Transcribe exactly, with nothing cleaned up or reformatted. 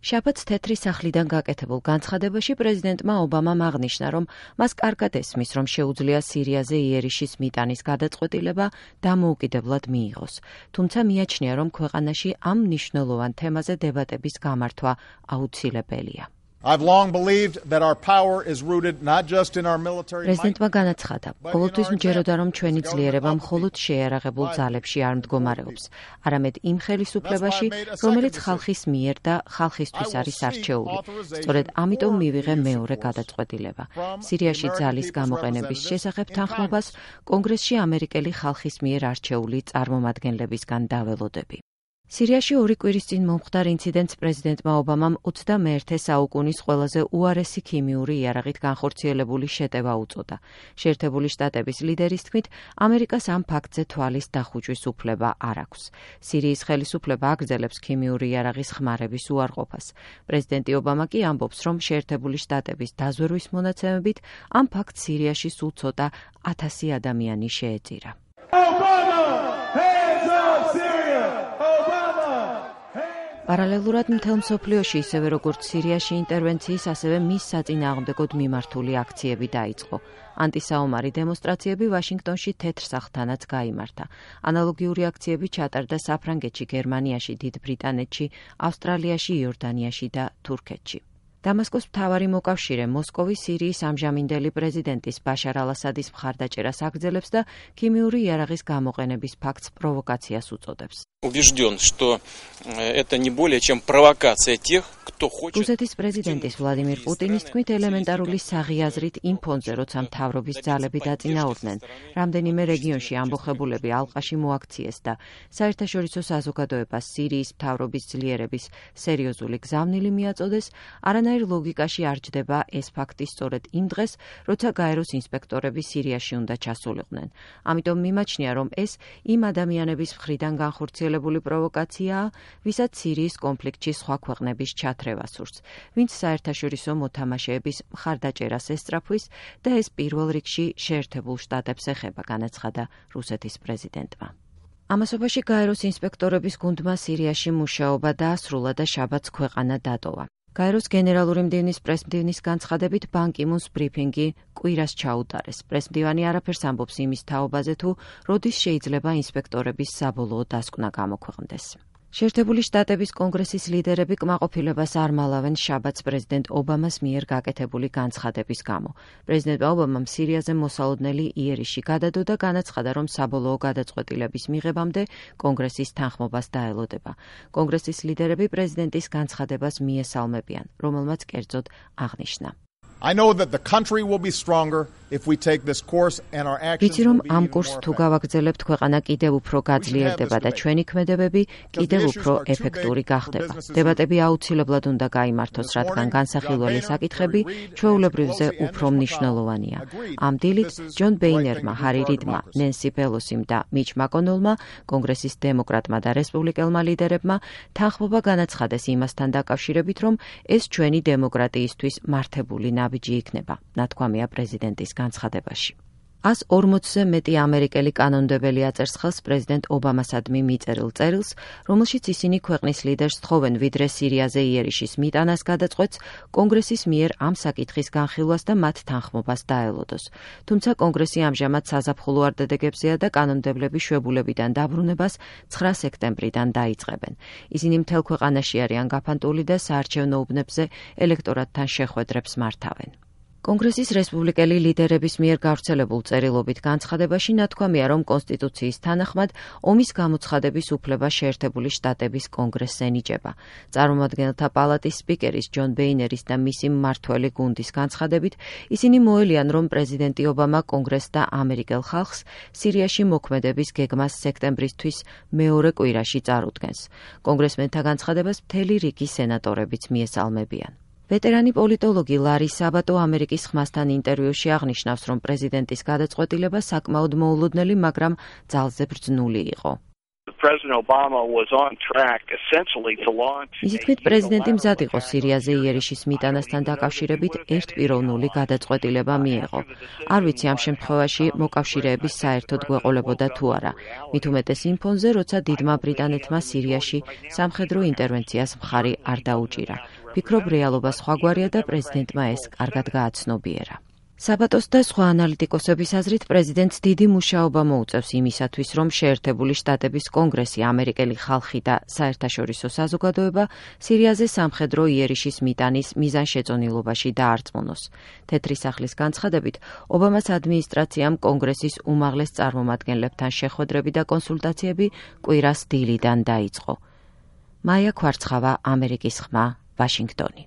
შაბათს თეთრი სახლიდან გაკეთებულ განცხადებაში პრეზიდენტმა ობამამ აღნიშნა, რომ მას კარგად ესმის, რომ შეუძლია სირიაზე იერიშის მიტანის გადაწყვეტილება დამოუკიდებლად მიიღოს. თუმცა მიაჩნია, რომ ქვეყანაში ამ მნიშვნელოვან თემაზე დებატების გამართვა აუცილებელია. I've long believed that our power is rooted not just in our military might. პრეზიდენტმა განაცხადა, ყოველთვის მჯეროდა, რომ ჩვენი ძლიერება მხოლოდ შეიარაღებულ ძალებში არ მდგომარეობს, არამედ იმ ხელისუფლებაში, რომელიც ხალხის მიერ და ხალხისთვის არის არჩეული. სწორედ ამიტომ მივიღე მეორე გადაწყვეტილება. სირიაში ძალის გამოყენების შესახებ თანხმობას კონგრესში ამერიკელი ხალხის მიერ არჩეული წარმომადგენლებისგან დაველოდები. სირიაში ორი კვირის წინ მომხდარ ინციდენტს პრეზიდენტმა ობამამ ოცდამეერთე საუკუნის ყველაზე უარესი ქიმიური იარაღით განხორციელებული შეტევა უწოდა. შეერთებული შტატების ლიდერის თქმით, ამერიკას ამ ფაქტზე თვალის დახუჭვის უფლება არ აქვს. სირიის ხელისუფლება აგრძელებს ქიმიური იარაღის ხმარების უარყოფას. პრეზიდენტი ობამა კი ამბობს, რომ შეერთებული შტატების დაზვერვის მონაცემებით ამ ფაქტს სირიაში სულ ცოტა ათასი ადამიანი შეეწირა. პარალელურად მთელ მსოფლიოში, ისევე როგორც სირიაში ინტერვენციის, ასევე მის საწინააღმდეგოდ მიმართული აქციები დაიწყო. ანტისაომარი დემონსტრაციები ვაშინგტონში თეთრ სახლთანაც გაიმართა. ანალოგიური აქციები ჩატარდა საფრანგეთში, გერმანიაში, დიდ ბრიტანეთში, ავსტრალიაში, იორდანიაში და თურქეთში. დამასკოს მთავარი მოკავშირე მოსკოვი სირიის ამჟამინდელი პრეზიდენტის ბაშარ ალ-ასადის მხარდაჭერას აგრძელებს და ქიმიური იარაღის გამოყენების ფაქტს პროვოკაციას უწოდებს. Убежден, что это не более чем провокация тех, кто хочет. რუსეთის პრეზიდენტის ვლადიმիր პუტინის თქმით, ელემენტარული საღიაზრით იმ ფონზე, როცა მთავრობის ძალები დაწინაურდნენ, რამდენიმე რეგიონში ამბოხებულები ალყაში მოაქციეს და საერთაშორისო საზოგადოებას სირიის მთავრობის ძლიერების სერიოზული გზავნილი მიაწოდეს, არანაირ ლოგიკაში არ ჯდება ეს ფაქტი სწორედ იმ დღეს, როცა გაეროს ინსპექტორები სირიაში უნდა ჩასულიყვნენ. ამიტომ მიმაჩნია, რომ ეს იმ ადამიანების მხრიდან განხორციელებული პროვოკაციაა, ვისაც სირიის კონფლიქტში სხვა ქვეყნების ჩათრევა სურს, ვინც საერთაშორისო მოთამაშეების მხარდაჭერას ესწრაფვის და ეს პირველ რიგში შეერთებულ შტატებს ეხება, განაცხადა რუსეთის პრეზიდენტმა. ამასობაში გაეროს ინსპექტორების გუნდმა სირიაში მუშაობა დაასრულა და შაბათს ქვეყანა დატოვა. გაეროს გენერალური მდივნის პრესმდივნის განცხადებით ბან კი მუნს ბრიფინგი კვირას ჩაუტარეს. პრესმდივანი არაფერს ამბობს იმის თაობაზე თუ როდის შეიძლება ინსპექტორების საბოლოო დასკვნა გამოქვეყნდეს. შეერთებული შტატების კონგრესის ლიდერები კმაყოფილებას არ მალავენ შაბათს პრეზიდენტ ობამას მიერ გაკეთებული განცხადების გამო. პრეზიდენტ ობამამ სირიაზე მოსალოდნელი იერიში გადადო და განაცხადა, რომ საბოლოო გადაწყვეტილების მიღებამდე კონგრესის თანხმობას დაელოდება. კონგრესის ლიდერები პრეზიდენტის განცხადებას მიესალმებიან, რომელმაც კერძოდ აღნიშნა. I know that the country will be stronger if we take this course and our actions. ვიცი რომ ამ კურსს თუ გავაგრძელებთ, ქვეყანა კიდევ უფრო გაძლიერდება და ჩვენი ქმედებები კიდევ უფრო ეფექტური გახდება. დებატები აუცილებლად უნდა გაიმართოს, რადგან განსახილველი საკითხები ჩვეულებრივზე უფრო მნიშვნელოვანია. ამ დილით ჯონ ბეინერმა, ჰარი რიდმა, ნენსი პელოსიმ და მიჩ მაკონელმა, კონგრესის დემოკრატმა და რესპუბლიკელმა ლიდერებმა თანხმობა განაცხადეს იმასთან დაკავშირებით, რომ ეს ჩვენი დემოკრატიისთვის მართებული ნაბიჯი იქნება, ნათქვამია პრეზიდენტის განცხადებაში. ას ორმოცზე მეტი ამერიკელი კანონმდებელი აწერს ხელს პრეზიდენტ ობამასადმი მიწერილ წერილს, რომელშიც ისინი ქვეყნის ლიდერს თხოვენ ვიდრე სირიაზე იერიშის მიტანას გადაწყვეტს, კონგრესის მიერ ამ საკითხის განხილვას და მათ თანხმობას დაელოდოს. თუმცა კონგრესი ამჟამად საზაფხულო არდადეგებზეა და კანონმდებლები შვებულებიდან დაბრუნებას ცხრა სექტემბრიდან დაიწყებენ. ისინი მთელ ქვეყანაში არიან გაფანტული და საარჩევნო უბნებზე ელექტორატთან შეხვედრებს მართავენ. კონგრესის რესპუბლიკელი ლიდერების მიერ გავრცელებულ წერილობით განცხადებაში ნათქვამია, რომ კონსტიტუციის თანახმად ომის გამოცხადების უფლება შეერთებული შტატების კონგრესს ენიჭება. წარმომადგენელთა პალატის სპიკერის ჯონ ბეინერის და მისი მმართველი გუნდის განცხადებით, ისინი მოელიან, რომ პრეზიდენტი ობამა კონგრესს და ამერიკელ ხალხს სირიაში მოქმედების გეგმას სექტემბრისთვის მეორე კვირაში წარუდგენს. კონგრესმენთა განცხადებას მთელი რიგი სენატორებიც მიესალმებიან. ვეტერანი პოლიტოლოგი ლარი საბატო ამერიკის ხმასთან ინტერვიუში აღნიშნავს, რომ პრეზიდენტის გადაწყვეტილება საკმაოდ მოულოდნელი, მაგრამ ძალზე ბრძნული იყო. მისი თქმით, პრეზიდენტი მზად იყო სირიაზე იერიშის მიტანასთან დაკავშირებით ერთპიროვნული გადაწყვეტილება მიეღო. არ ვიცი ამ შემთხვევაში მოკავშირეების საერთოდ გვეყოლებოდა თუ არა. მით უმეტეს იმ ფონზე, როცა დიდმა ბრიტანეთმა სირიაში სამხედრო ინტერვენციას მხარი არ დაუჭირა. ფიქრობ, რეალობა სხვაგვარია და პრეზიდენტმა ეს კარგად გააცნობიერა. საბატოს და სხვა ანალიტიკოსების აზრით პრეზიდენტს დიდი მუშაობა მოუწევს იმისათვის, რომ შეერთებული შტატების კონგრესი, ამერიკელი ხალხი და საერთაშორისო საზოგადოება სირიაზე სამხედრო იერიშის მიტანის მიზანშეწონილობაში დაარწმუნოს. თეთრი სახლის განცხადებით, ობამას ადმინისტრაციამ კონგრესის უმაღლეს წარმომადგენლებთან შეხვედრები და კონსულტაციები კვირას დილიდან დაიწყო. მაია ქვარცხავა, ამერიკის ხმა, ვაშინგტონი.